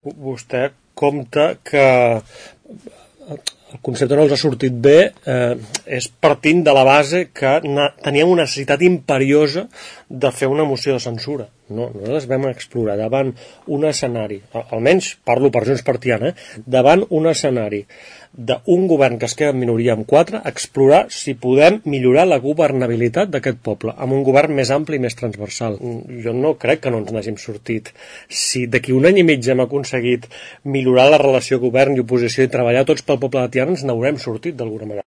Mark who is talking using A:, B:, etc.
A: Vostè compta que el concepte no els ha sortit bé és partint de la base que teníem una necessitat imperiosa de fer una moció de censura. No, nosaltres vam explorar davant un escenari, almenys parlo per Junts per Tiana, davant un escenari d'un govern que es queda en minoria amb 4, explorar si podem millorar la governabilitat d'aquest poble, amb un govern més ampli i més transversal. Jo no crec que no ens n'hàgim sortit. Si d'aquí un any i mig hem aconseguit millorar la relació govern i oposició i treballar tots pel poble de Tiana, ens n'haurem sortit d'alguna manera.